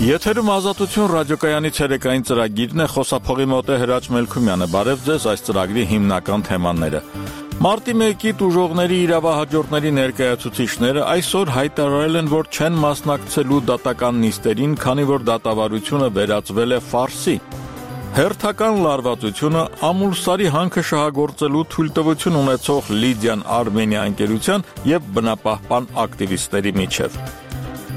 Եթերում Ազատություն ռադիոկայանի ցերեկային ծրագիրն է, խոսափողի մոտ է Հրաչ Մելքումյանը։ Բարև ձեզ, այս ծրագրի հիմնական թեմաները։ Մարտի 1-ի տուժողների իրավահաջորդների ներկայացուցիչները այսօր հայտարարել են, որ չեն մասնակցելու դատական նիստերին, քանի որ դատավարությունը վերածվել է ֆարսի։ Հերթական լարվածությունը Ամուլսարի հանքը շահագործելու թույլտվություն ունեցող Լիդիան Արմենիա ընկերության եւ բնապահպան ակտիվիստների միջև։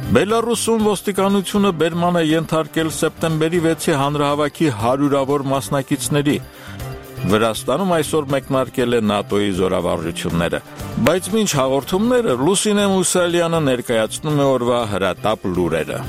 Բելարուսում ոստիկանությունը բերման է ենթարկել սեպտեմբերի 6-ի հանրահավաքի հարյուրավոր մասնակիցների։ Վրաստանում այսօր մեկնարկել է ՆԱՏՕ-ի զորավարժությունները։ Բայց մինչ հաղորդումները Լուսինե Մուսալյանը ներկայացնում է օրվա հրատապ լուրերը։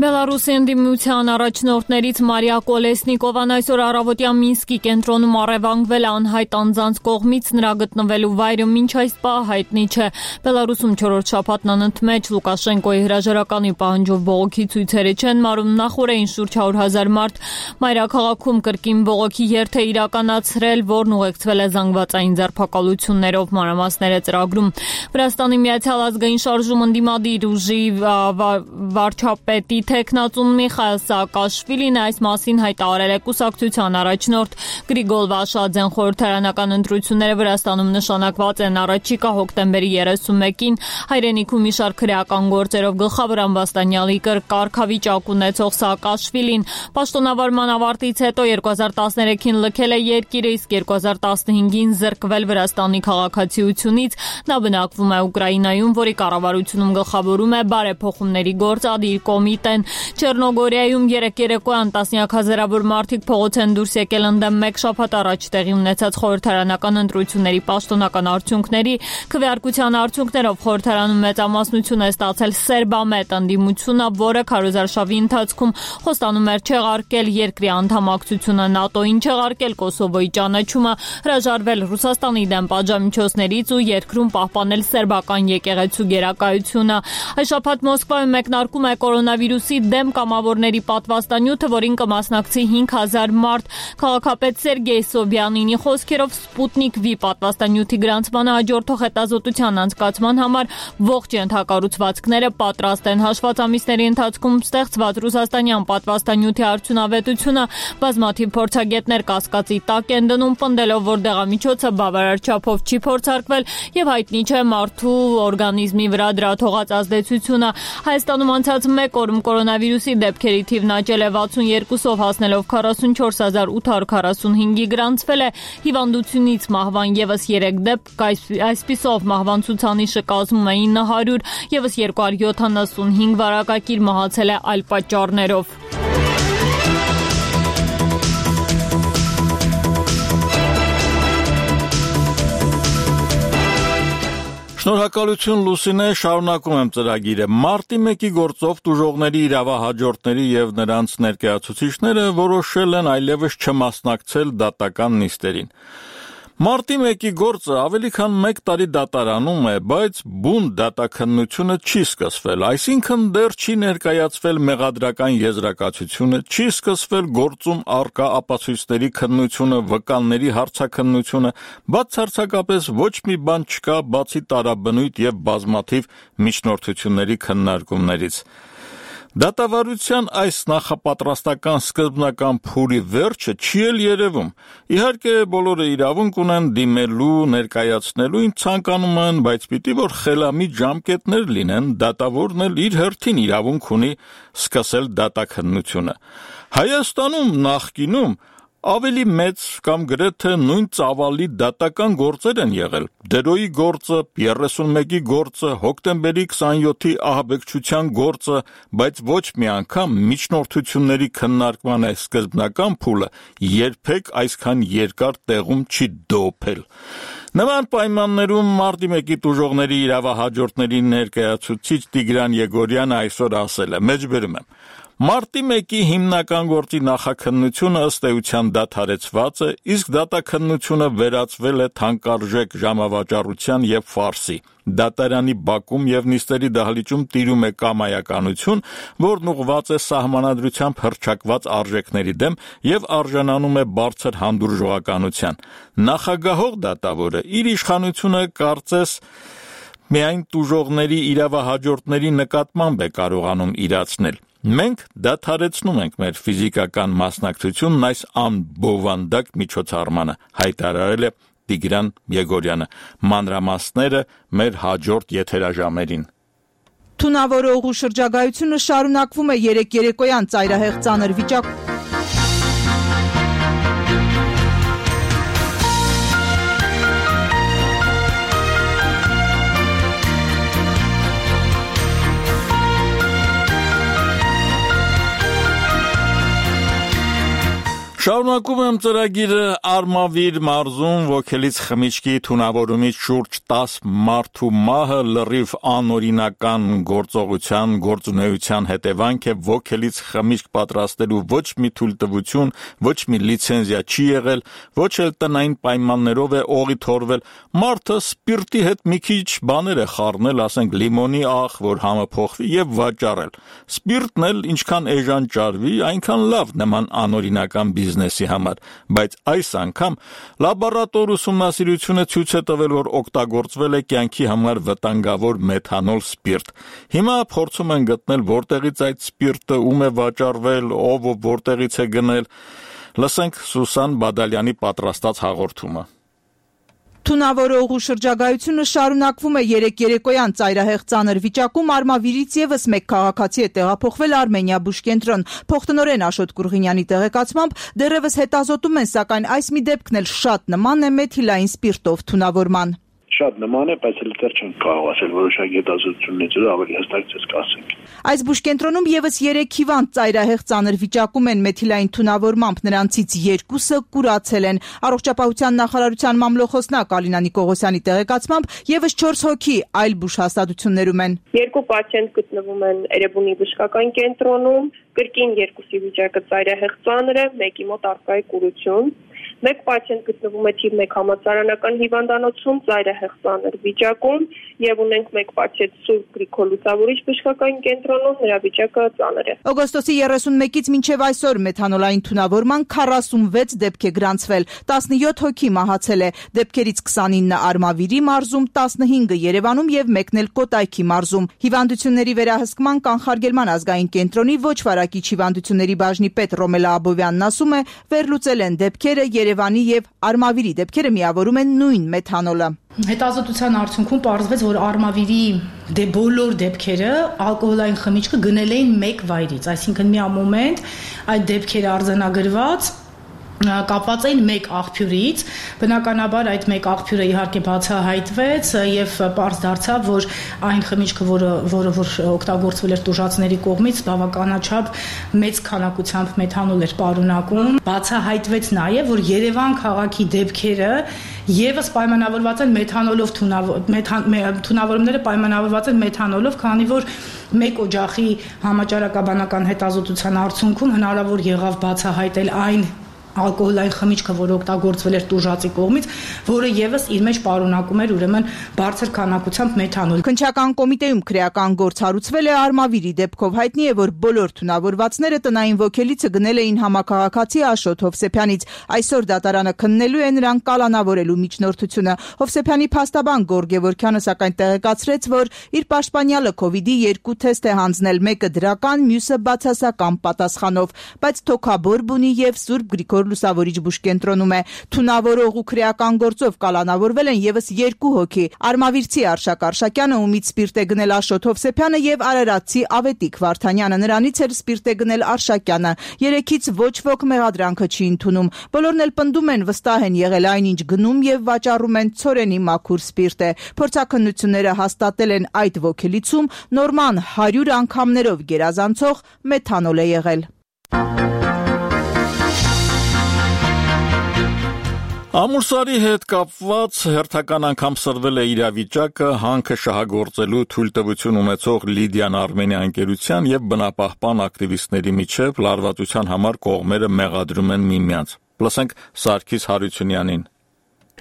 Բելարուսի ընդդիմության առաջնորդներից Մարիա Կոլեսնիկովան այսօր առավոտյան Մինսկի կենտրոնում առևանգվել է անհայտ անձանց կողմից, նրա գտնվելու վայրը մինչ այս պահ հայտնի չէ։ Բելարուսում 4-րդ շաբաթն անընդմեջ Լուկաշենկոյի հրաժարականի պահանջով բողոքի ցույցերը չեն մարում, նախորդին շուրջ 100,000 մարդ մայրաքաղաքում կրկին բողոքի երթ է իրականացրել, որն ուղեկցվել է զանգվածային ձերբակալություններով, մանրամասները ծրագրում։ Վրաստանի Միացյալ ազգային շարժում ընդդիմադիր ուժի վարչապետի Տեխնացուն Միխայել Սաակաշվիլին այս մասին հայտարարել է կուսակցության առաջնորդ Գրիգոլ Վաշադզեն։ Խորհրդարանական ընտրությունները Վրաստանում նշանակված են առաջիկա հոկտեմբերի 31-ին։ Հայրենիքում մի շարք քրեական գործերով գլխավոր ամբաստանյալի կարգավիճակ ունեցող Սաակաշվիլին պաշտոնավարման ավարտից հետո 2013-ին լքել է երկիրը, իսկ 2015-ին զրկվել Վրաստանի քաղաքացիությունից։ Նա բնակվում է Ուկրաինայում, որի կառավարությունում գլխավորում է բարեփոխումների գործադիր կոմիտեն։ Չեռնոգորիայում երեկոյան տասնյակ հազարավոր մարդիկ փողոց են դուրս եկել ընդդեմ մեկ շաբաթ առաջ տեղի ունեցած խորհրդարանական ընտրությունների պաշտոնական արդյունքների։ Քվեարկության արդյունքներով խորհրդարանում մեծամասնություն է ստացել սերբամետ ընդդիմությունը, որը քարոզարշավի ընթացքում խոստանում էր չեղարկել երկրի անդամակցությունը ՆԱՏՕ-ին, չեղարկել Կոսովոյի ճանաչումը, հրաժարվել Ռուսաստանի դեմ պատժամիջոցներից ու երկրում պահպանել սերբական եկեղեցու գերակայությունը։ Այս շաբաթ Մոսկվայում մեկնարկում է կորոնավիրուսի դեմ կամավորների պատվաստանյութը, որին կմասնակցի 5,000 մարդ։ Քաղաքապետ Սերգեյ Սոբյանինի խոսքերով Սպուտնիկ V պատվաստանյութի գրանցմանը հաջորդող հետազոտության անցկացման համար ողջ ենթակառուցվածքները պատրաստ են։ Հաշված ամիսների ընթացքում ստեղծված ռուսաստանյան պատվաստանյութի արդյունավետությունը բազմաթիվ փորձագետներ կասկածի տակ են դնում, պնդելով, որ դեղամիջոցը բավարար չափով չի փորձարկվել եւ հայտնի չէ մարդու օրգանիզմի վրա դրա թողած ազդեցությունը։ Հայաստանում անցած մեկ օրում կորոնավիրուսի դեպքերի թիվն աճել է 62-ով, հասնելով 44,845-ի, գրանցվել է հիվանդությունից մահվան եւս 3 դեպք, այսպիսով մահվան ցուցանիշը կազմում է 900, եւս 275 վարակակիր մահացել է այլ պատճառներով։ Շնորհակալություն Լուսինե, շարունակում եմ ծրագիրը։ Մարտի 1-ի գործով տուժողների իրավահաջորդների եւ նրանց ներկայացուցիչները որոշել են այլևս չմասնակցել դատական նիստերին։ Մարտի 1-ի գործը ավելի քան 1 տարի դատարանում է, բայց բուն դատաքննությունը չի սկսվել, այսինքն դեռ չի ներկայացվել մեղադրական եզրակացությունը, չի սկսվել գործում առկա ապացույցների քննությունը, վկանների հարցաքննությունը, բացարձակապես ոչ մի բան չկա, բացի տարաբնույթ եւ բազմաթիվ միջնորդությունների քննարկումներից։ Դատավարության այս նախապատրաստական սկզբնական փուլի վերջը չի էլ երևում։ Իհարկե բոլորը իրավունք ունեն դիմելու, ներկայացնելու, ինչ ցանկանում են, բայց պիտի որ խելամիտ ժամկետներ լինեն, դատավորն էլ իր հերթին իրավունք ունի սկսել դատաքննությունը։ Հայաստանում նախկինում ավելի մեծ կամ գրեթե նույն ծավալի դատական գործեր են եղել։ Դերոյի գործը, 31-ի գործը, հոկտեմբերի 27-ի ահաբեկչության գործը, բայց ոչ մի անգամ միջնորդությունների քննարկման այս սկզբնական փուլը երբեք այսքան երկար տեղում չի դոփել։ Նման պայմաններում մարտի 1-ի տուժողների իրավահաջորդների ներկայացուցիչ Տիգրան Եգորյանը այսօր ասել է. մեջբերում եմ, Մարտի 1-ի հիմնական գործի նախաքննությունը ըստ էության դադարեցված է, իսկ դատաքննությունը վերածվել է թանկարժեք ժամավաճառության եւ ֆարսի։ Դատարանի բակում եւ նիստերի դահլիճում տիրում է կամայականություն, որն ուղղված է սահմանադրությամբ հռչակված արժեքների դեմ եւ արժանանում է բարձր հանդուրժողականության։ Նախագահող դատավորը իր իշխանությունը կարծես միայն տուժողների իրավահաջորդների նկատմամբ է կարողանում իրացնել։ Մենք դադարեցնում ենք մեր ֆիզիկական մասնակցությունն այս անբովանդակ միջոցառմանը, հայտարարել է Տիգրան Եգորյանը։ Մանրամասները մեր հաջորդ եթերաժամերին։ Թունավորողու շրջագայությունը շարունակվում է 3 երեկոյան ծայրահեղ ծանր վիճակում։ Շարունակում եմ ծրագիրը Արմավիր մարզում ոգելից խմիչքի թունավորումից շուրջ 10 մարդու մահը լրիվ անօրինական գործողության գործունեության հետևանք է ոգելից խմիչք պատրաստելու ոչ մի թույլտվություն, ոչ մի լիցենզիա չի եղել, ոչ էլ տնային պայմաններով է օղի թորվել, մարդը սպիրտի հետ մի քիչ բաներ է խառնել, ասենք լիմոնի աղ, որ համը փոխվի եւ վաճառել։ Սպիրտն էլ ինչքան էժան ճարվի, այնքան լավ նման անօրինական բիզնեսի համար, բայց այս անգամ լաբորատոր ուսումնասիրությունը ցույց է տվել, որ օգտագործվել է կյանքի համար վտանգավոր մեթանոլ սպիրտ։ Հիմա փորձում են գտնել որտեղից այդ սպիրտը ում է վաճառվել, ով որտեղից է գնել։ Լսենք Սուսան Բադալյանի պատրաստած հաղորդումը։ Թունավորողու շրջագայությունը շարունակվում է 3 երեկոյան ծայրահեղ ծանր վիճակում Արմավիրից եւս մեկ քաղաքացի է տեղափոխվել Արմենիա բուժկենտրոն։ Փոխտնօրեն Աշոտ Կուրղինյանի տեղեկացմամբ դեռևս հետազոտում են, սակայն այս մի դեպքն էլ շատ նման է մեթիլային սպիրտով թունավորման։ Շատ նման է, բայց էլ դեռ չենք կարող ասել, որոշակի հետազոտություններից ավելի հստակ ցույց կասենք։ Այս բուժկենտրոնում եւս 3 հիվանդ ծայրահեղ ծանր վիճակում են մեթիլային թունավորմամբ, նրանցից 2-ը կուրացել են։ Առողջապահության նախարարության մամլոխոսնակ Ալինա Նիկողոսյանի տեղեկացմամբ եւս 4 հոգի այլ բուժհաստատություններում են։ 2 պացիենտ գտնվում են Էրեբունի բժշկական կենտրոնում, կրկին 2-ի վիճակը ծայրահեղ ծանր է, 1-ի մոտ առկա է կուրություն։ 1 պացիենտ գտնվում է թիվ 1 համալսարանական հիվանդանոցում ծայրահեղ ծանր վիճակում եւ ունենք 1 պացիենտ Սուրբ Գրիգոր Լուսավորիչ բժշկական կենտրոնում, նրա վիճակը ծանր է։ Օգոստոսի 31-ից մինչև այսօր մեթանոլային թունավորման 46 դեպք է գրանցվել, 17 հոգի մահացել է, դեպքերից 29-ը Արմավիրի մարզում, 15-ը Երևանում եւ 1-ն էլ Կոտայքի մարզում։ Հիվանդությունների վերահսկման կանխարգելման ազգային կենտրոնի ոչ վարակիչ հիվանդությունների բաժնի պետ Ռոմելա Աբովյանն ասում է, վերլուծել են դեպքերը, Երևանի եւ Արմավիրի դեպքերը միավորում են նույն մեթանոլը։ Հետազոտության արդյունքում պարզվեց, որ Արմավիրի բոլոր դեպքերը ալկոհոլային խմիչքը գնել էին մեկ վայրից, այսինքն մի մոմենտ այդ դեպքերը արձանագրված կապված էին մեկ աղբյուրից, բնականաբար այդ մեկ աղբյուրը իհարկե բացահայտվեց եւ պարզ դարձավ, որ այն խմիչքը, որը օգտագործվել էր տուժածների կողմից, բավականաչափ մեծ քանակությամբ մեթանոլ էր պարունակում։ Բացահայտվեց նաեւ, որ Երևան քաղաքի դեպքերը եւս պայմանավորված են մեթանոլով թունավորումները պայմանավորված են մեթանոլով, քանի որ մեկ օջախի համաճարակաբանական հետազոտության արդյունքում հնարավոր եղավ բացահայտել այն ալկոհոլային խմիչքը, որը օգտագործվել էր տուժածի կողմից, որը եւս իր մեջ պարունակում էր ուրեմն բարձր քանակությամբ մեթանոլ։ Քննչական կոմիտեում քրեական գործ հարուցվել է Արմավիրի դեպքով, հայտնի է, որ բոլոր թունավորվածները տնային ոգելիցը գնել էին համակարգացի Աշոտ Հովսեփյանից։ Այսօր դատարանը քննելու է նրան կալանավորելու միջնորդությունը։ Հովսեփյանի փաստաբան Գորգ Գևորգյանը սակայն տեղեկացրեց, որ իր պաշտպանյալը COVID-ի 2 թեստ է հանձնել, մեկը դրական, մյուսը բացասական պատասխանով, բայց թոքաբոր բունի եւ Սուրբ Գրիգոր Լուսավորիչ բուժկենտրոնում է։ Թունավորող ու քրեական գործով կալանավորվել են եւս 2 հոգի։ Արմավիրցի Արշակ Արշակյանը, ումից սպիրտ է գնել Աշոտ Հովսեփյանը եւ Արարատցի Ավետիք Վարդանյանը, նրանից էլ սպիրտ է գնել Արշակյանը։ 3-ից ոչ ոք մեղադրանքը չի ընդունում։ Բոլորն էլ պնդում են, վստահ են եղել այնինչ գնում եւ վաճառում են ցորենի մաքուր սպիրտ է։ Փորձաքննությունները հաստատել են այդ ոգելիցում նորման 100 անգամներով գերազանցող մեթանոլ է եղել։ Ամուրսարի հետ կապված հերթական անգամ սրվել է իրավիճակը հանքը շահագործելու թույլտվություն ունեցող Լիդիան Արմենիա ընկերության եւ բնապահպան ակտիվիստների միջև լարվածության համար կողմերը մեղադրում են միմյանց։ Լսենք Սարգիս Հարությունյանին։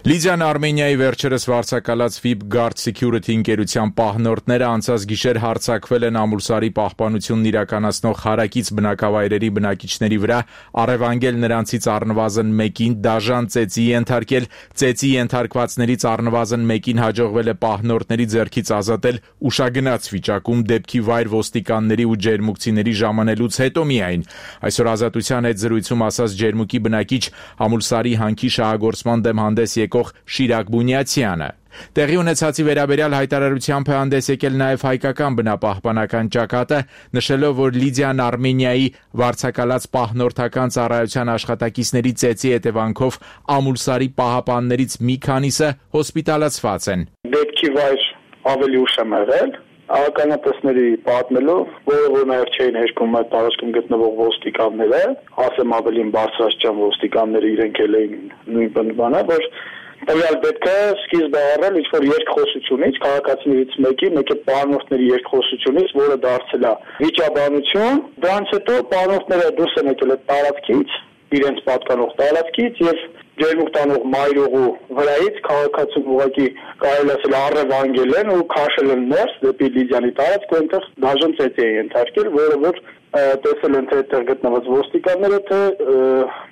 Լիդիան Արմենիայի վերջերս վարձակալած VIP Guard Security ընկերության պահնորդները անցած գիշեր հարձակվել են Ամուրսարի պահպանությունն իրականացնող հարակից բնակավայրերի բնակիչների վրա, առևանգել նրանցից առնվազն մեկին, դաժան ծեծի ենթարկել, ծեծի ենթարկվածներից առնվազն մեկին հաջողվել է պահնորդների ձեռքից ազատել ուշագնաց վիճակում դեպքի վայր ոստիկանների ու ջերմուկցիների ժամանելուց հետո միայն։ Այսօր Ազատության հետ զրույցում ասաց ջերմուկի բնակիչ Ամուրսարի հանքի շահագործման դեմ հանդես եկող Շիրակ Բունյացյանը։ Տեղի ունեցածի վերաբերյալ հայտարարությամբ է հանդես եկել նաև հայկական բնապահպանական ճակատը, նշելով, որ Լիդիան Արմենիայի վարձակալած պահնորդական ծառայության աշխատակիցների ծեծի հետևանքով Ամուրսարի պահապաններից մի քանիսը հոսպիտալացված են։ Դեպքի վայր ավելի ուշ եմ եղել, ականատեսների պատմելով, որ նաև չէին հերքում այդ տարածքում գտնվող ոստիկանները, ասեմ ավելին բարձրաստիճան ոստիկանները իրենք էլ էին նույն բանը, որ տվյալ դեպքը սկիզբ է առել ինչ-որ երկխոսությունից, քաղաքացիներից մեկի պահնորդների երկխոսությունից, որը դարձել է վիճաբանություն, դրանից հետո պահնորդները դուրս են եկել այդ տարածքից, իրենց պատկանող տարածքից եւ ջերմուկ տանող մայրուղու վրայից քաղաքացուն ուղղակի կարելի ասել առևանգել են ու քաշել են ներս դեպի Լիդիանի տարածք, որտեղ դաժան ծեծի է ենթարկել, որը որ տեսել են թե այդտեղ գտնված ոստիկանները, թե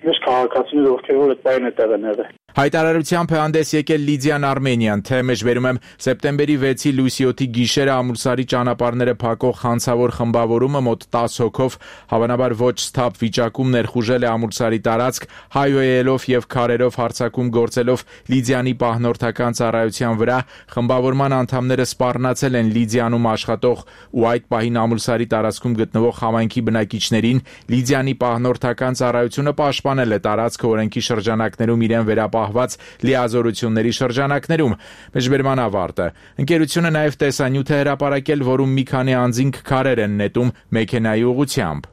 մյուս քաղաքացիները, ովքեր որ այդ պահին այդտեղ են եղել։ Հայտարարությամբ է հանդես եկել Լիդիան Արմենիան, թե մեջբերում եմ սեպտեմբերի 6-ի լույսի 7-ի գիշերը Ամուրսարի ճանապարհները փակող հանցավոր խմբավորումը մոտ 10 հոգով հավանաբար ոչ սթափ վիճակում ներխուժել է Ամուրսարի տարածք, հայոյելով եւ քարերով հարձակում գործելով Լիդիանի պահնորդական ծառայության վրա, խմբավորման անդամները սպառնացել են Լիդիանում աշխատող ու այդ պահին Ամուրսարի տարածքում գտնվող համայնքի բնակիչներին, Լիդիանի պահնորդական ծառայությունը պաշտպանել է տարածքը օրենքի շրջանակներում իրեն վերապահված լիազորությունների շրջանակներում։ Մեջբերման ավարտը։ Ընկերությունը նաև տեսանյութ է հրապարակել, որում մի քանի անձինք քարեր են նետում մեքենայի ուղղությամբ։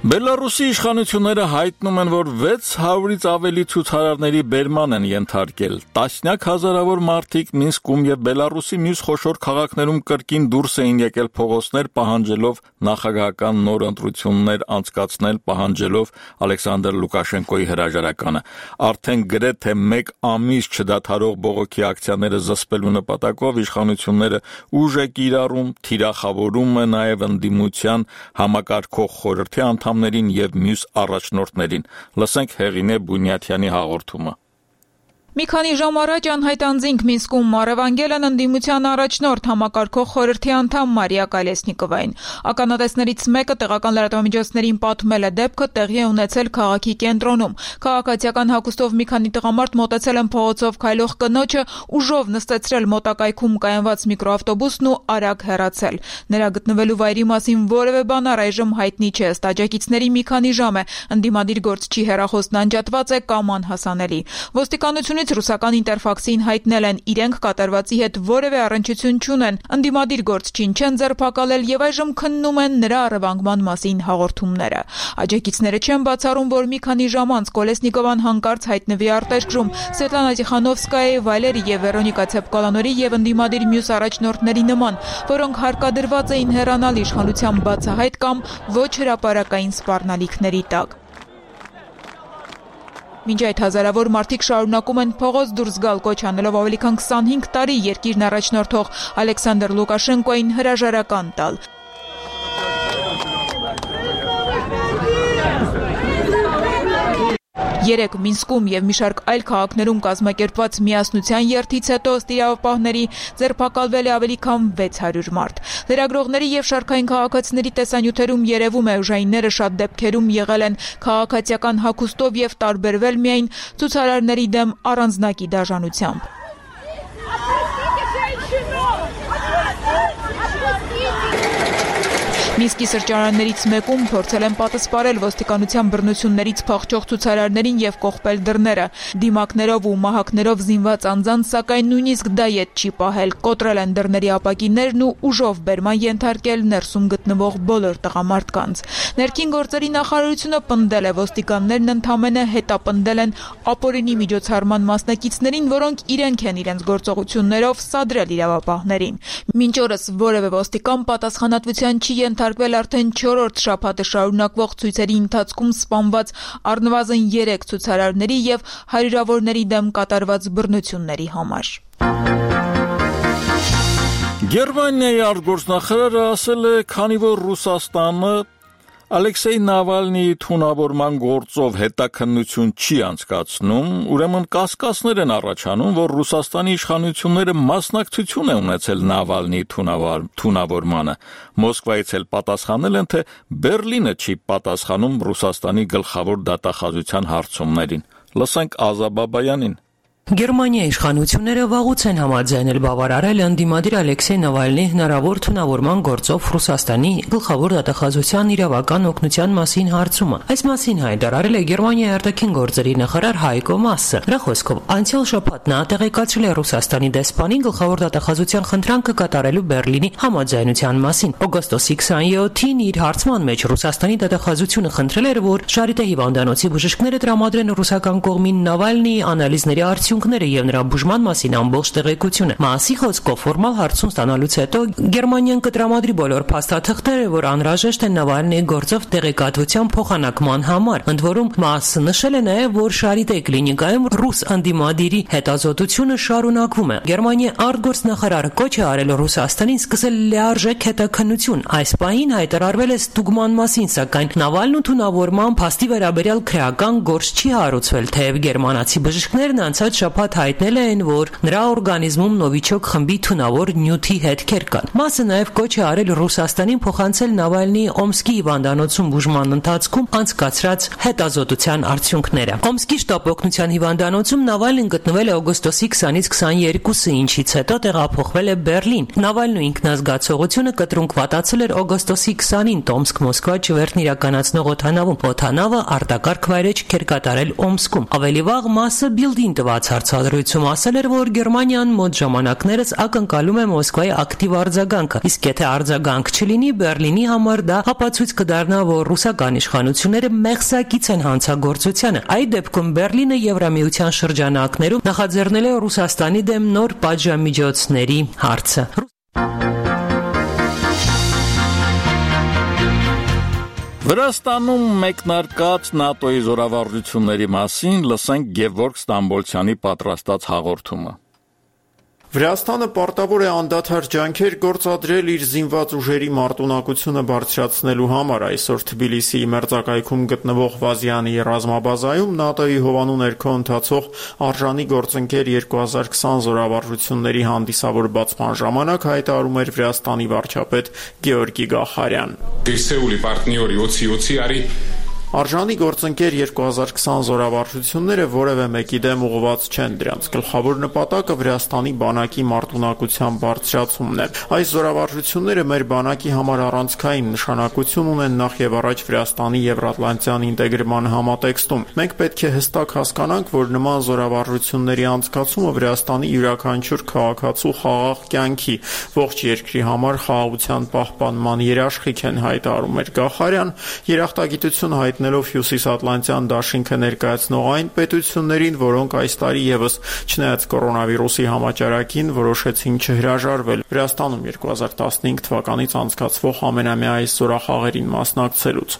Բելարուսի իշխանությունները հայտնում են, որ 600-ից ավելի ցուցարարների բերման են ենթարկել։ Տասնյակ հազարավոր մարդիկ Մինսկում եւ Բելարուսի մյուս խոշոր քաղաքներում կրկին դուրս էին եկել փողոցներ, պահանջելով նախագահական նոր ընտրություններ անցկացնել, պահանջելով Ալեքսանդր Լուկաշենկոյի հրաժարականը։ Արդեն գրեթե 1 ամիս չդադարող բողոքի ակցիաները զսպելու նպատակով իշխանությունները ուժ է կիրառում, թիրախավորում է նաև ընդդիմության համակարգող խորհրդի անդամներին եւ մյուս առաջնորդներին։ Լսենք Հեղինե Բունյաթյանի հաղորդումը։ Մի քանի ժամ առաջ անհայտ անձինք Մինսկում առևանգել են ընդդիմության առաջնորդ համակարգող խորհրդի անդամ Մարիա Կալեսնիկովային։ Ականատեսներից մեկը տեղական լրատվամիջոցներին պատմել է դեպքը տեղի է ունեցել քաղաքի կենտրոնում։ Քաղաքացիական հագուստով մի քանի տղամարդ մոտեցել են փողոցով քայլող կնոջը, ուժով նստեցրել մոտակայքում կայանված միկրոավտոբուսն ու արագ հեռացել։ Նրա գտնվելու վայրի մասին որևէ բան առայժմ հայտնի չէ, ըստ աջակիցների մի քանի ժամ է ընդդիմադիր գործչի հեռախոսն անջատված է կամ անհասանելի։ Ոստիկանությունից ռուսական ինտերֆաքսին հայտնել են իրենք կատարվածի հետ որևէ առնչություն չունեն, ընդդիմադիր գործչին չեն ձերբակալել եւ այժմ քննում են նրա առևանգման մասին հաղորդումները։ Աջակիցները չեն բացառում, որ մի քանի ժամ անց Կոլեսնիկովան հանկարծ հայտնվի արտերկրում Սվետլանա Տիխանովսկայի, Վալերի եւ Վերոնիկա Ցեպկոլանորի եւ ընդդիմադիր մյուս առաջնորդների նման, որոնք հարկադրված էին հեռանալ իշխանության բացահայտ կամ ոչ հրապարակային սպառնալիքների տակ։ Մինչ այդ հազարավոր մարդիկ շարունակում են փողոց դուրս գալ, կոչ անելով ավելի քան 25 տարի երկիրն առաջնորդող Ալեքսանդր Լուկաշենկոյին հրաժարական տալ։ Երեկ Մինսկում եւ մի շարք այլ քաղաքներում կազմակերպված միասնության երթից հետո ըստ իրավապահների ձերբակալվել է ավելի քան 600 մարդ։ Լրագրողների եւ շարքային քաղաքացիների տեսանյութերում երևում է ուժայինները շատ դեպքերում եղել են քաղաքացիական հագուստով եւ տարբերվել միայն ցուցարարների դեմ առանձնակի դաժանությամբ։ Մինսկի սրճարաններից մեկում փորձել են պատասպարել ոստիկանության բռնություններից փախչող ցուցարարներին եւ կողպել դռները։ Դիմակներով ու մահակներով զինված անձանց սակայն նույնիսկ դա ետ չի պահել։ Կոտրել են դռների ապակիներն ու ուժով բերման ենթարկել ներսում գտնվող բոլոր տղամարդկանց։ Ներքին գործերի նախարարությունը պնդել է, ոստիկաններն ընդամենը հետապնդել են ապօրինի միջոցառման մասնակիցներին, որոնք իրենք են իրենց գործողություններով սադրել իրավապահներին։ Մինչ օրս որևէ ոստիկան պատասխանատվության չի ենթարկվել արդեն 4-րդ շաբաթը շարունակվող ցույցերի ընթացքում սպանված առնվազն 3 ցուցարարների եւ հարյուրավորների դեմ կատարված բռնությունների համար։ Գերմանիայի արտգործնախարարը ասել է, քանի որ Ռուսաստանը Ալեքսեյ Նավալնիի թունավորման գործով հետաքննություն չի անցկացնում, ուրեմն կասկածներ են առաջանում, որ Ռուսաստանի իշխանությունները մասնակցություն է ունեցել Նավալնիի թունավորմանը։ Մոսկվայից էլ պատասխանել են, թե Բերլինը չի պատասխանում Ռուսաստանի գլխավոր դատախազության հարցումներին։ Լսենք Ազա Բաբայանին։ Գերմանիայի իշխանությունները վաղուց են համաձայնել բավարարել ընդդիմադիր Ալեքսեյ Նավալնիի հնարավոր թունավորման գործով Ռուսաստանի գլխավոր դատախազության իրավական օգնության մասին հարցումը։ Այս մասին հայտարարել է Գերմանիայի արտաքին գործերի նախարար Հայկո Մասը։ Նրա խոսքով անցյալ շաբաթ նա տեղեկացրել է Ռուսաստանի դեսպանին գլխավոր դատախազության խնդրանքը կատարելու Բերլինի համաձայնության մասին։ Օգոստոսի 27-ին իր հարցման մեջ Ռուսաստանի դատախազությունը խնդրել էր, որ Շարիտե հիվանդանոցի բժիշկները տրամադրեն ռուսական կողմին Նավալնիի անալիզների եւ նրա բուժման մասին ամբողջ տեղեկությունը։ Մասի խոսքով ֆորմալ հարցում ստանալուց հետո Գերմանիան կտրամադրի բոլոր փաստաթղթերը, որ անհրաժեշտ են Նավալնիի գործով տեղեկատվության փոխանակման համար։ Ընդ որում Մասը նշել է նաև, որ Շարիտե կլինիկայում ռուս անդիմադիրի հետազոտությունը շարունակվում է։ Գերմանիայի արտգործնախարարը կոչ է արել Ռուսաստանին սկսել լիարժեք հետաքննություն։ Այս պահին հայտարարվել է ստուգման մասին, սակայն Նավալնու թունավորման փաստի վերաբերյալ քրեական գործ չի հարուցվել, թեև գերմանացի բժիշկներն անցած շաբաթ հայտնել են, որ նրա օրգանիզմում Նովիչոկ խմբի թունավոր նյութի հետքեր կան։ Մասը նաև կոչ է արել Ռուսաստանին փոխանցել Նավալնիի Օմսկի հիվանդանոցում բուժման ընթացքում անցկացրած հետազոտության արդյունքները։ Օմսկի շտապ օգնության հիվանդանոցում Նավալնին գտնվել է օգոստոսի 20-ից 22-ը, ինչից հետո տեղափոխվել է Բերլին։ Նավալնու ինքնազգացողությունը կտրունկ վատացել էր օգոստոսի 20-ին Տոմսկ-Մոսկվա ճվերթն իրականացնող օդանավում։ Օդանավը արտակարգ վայրէջք էր կատարել Օմսկում։ Ավելի վաղ Մասը Բիլդին տված հարցադրույցում ասել էր, որ Գերմանիան մոտ ժամանակներս ակնկալում է Մոսկվայի ակտիվ արձագանքը, իսկ եթե արձագանք չլինի, Բերլինի համար դա ապացույց կդառնա, որ ռուսական իշխանությունները մեղսակից են հանցագործությանը։ Այդ դեպքում Բերլինը Եվրամիության շրջանակներում նախաձեռնել է Ռուսաստանի դեմ նոր պատժամիջոցների հարցը։ Վրաստանում մեկնարկած ՆԱՏՕ-ի զորավարժությունների մասին լսենք Գևորգ Ստամբոլցյանի պատրաստած հաղորդումը։ Վրաստանը պարտավոր է անդադար ջանքեր գործադրել իր զինված ուժերի մարտունակությունը բարձրացնելու համար։ Այսօր Թբիլիսիի մերձակայքում գտնվող Վազյանի ռազմաբազայում ՆԱՏՕ-ի հովանու ներքո ընթացող արժանի գործընկեր 2020 զորավարժությունների հանդիսավոր բացման ժամանակ հայտարարում էր Վրաստանի վարչապետ Գեորգի Գախարյան։ Արժանի գործընկեր 2020 զորավարժությունները որևէ մեկի դեմ ուղղված չեն, դրանց գլխավոր նպատակը Վրաստանի բանակի մարտունակության բարձրացումն է։ Այս զորավարժությունները մեր բանակի համար առանցքային նշանակություն ունեն նախ եւ առաջ Վրաստանի Եվրատլանտյան ինտեգրման համատեքստում։ Մենք պետք է հստակ հասկանանք, որ նման զորավարժությունների անցկացումը Վրաստանի յուրաքանչյուր քաղաքացու խաղաղ կյանքի, ողջ երկրի համար խաղաղության պահպանման երաշխիք են, հայտարարում էր Գախարյան, երախտագիտություն հայտնելով Հյուսիսատլանտյան դաշինքը ներկայացնող այն պետություններին, որոնք այս տարի եւս չնայած կորոնավիրուսի համաճարակին որոշեցին չհրաժարվել Վրաստանում 2015 թվականից անցկացվող ամենամյա այս զորախաղերին մասնակցելուց։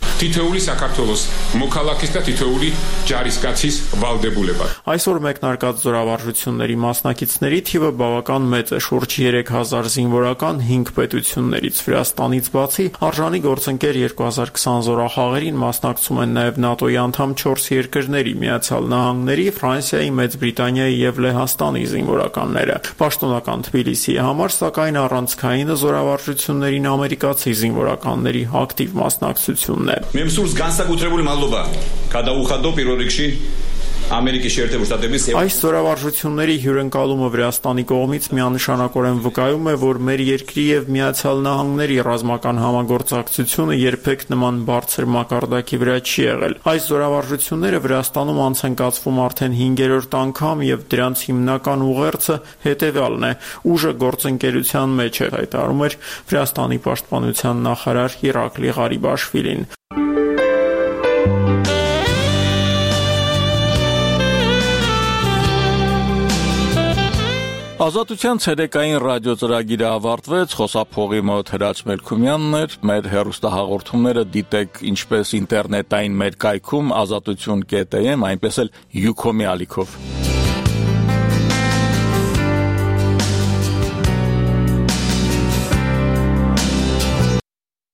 Այսօր մեկնարկած զորավարժությունների մասնակիցների թիվը բավական մեծ է, շուրջ 3000 զինվորական 5 պետություններից։ Վրաստանից բացի արժանի գործընկեր 2020 զորախաղերին մասնակցում են նաև ՆԱՏՕ-ի անդամ 4 երկրների՝ Միացյալ Նահանգների, Ֆրանսիայի, Մեծ Բրիտանիայի եւ Լեհաստանի զինվորականները։ Պաշտոնական Թբիլիսիի համար, սակայն առանցքայինը զորավարժություններին ամերիկացի զինվորականների ակտիվ մասնակցությունն է։ Այս զորավարժությունների հյուրընկալումը Վրաստանի կողմից միանշանակորեն վկայում է, որ մեր երկրի եւ Միացյալ Նահանգների ռազմական համագործակցությունը երբեք նման բարձր մակարդակի վրա չի եղել։ Այս զորավարժությունները Վրաստանում անց են կացվում արդեն 5-րդ անգամ եւ դրանց հիմնական ուղերձը հետեւյալն է. ուժը գործընկերության մեջ է, հայտարարում էր Վրաստանի պաշտպանության նախարար Իրակլի Ղարիբաշվիլին։ Ազատության ցերեկային ռադիոծրագիրը ավարտվեց, խոսափողի մոտ Հրաչ Մելքումյանն էր, մեր հեռուստահաղորդումները դիտեք ինչպես ինտերնետային մեր կայքում azatutun.am, այնպես էլ Ucom-ի ալիքով։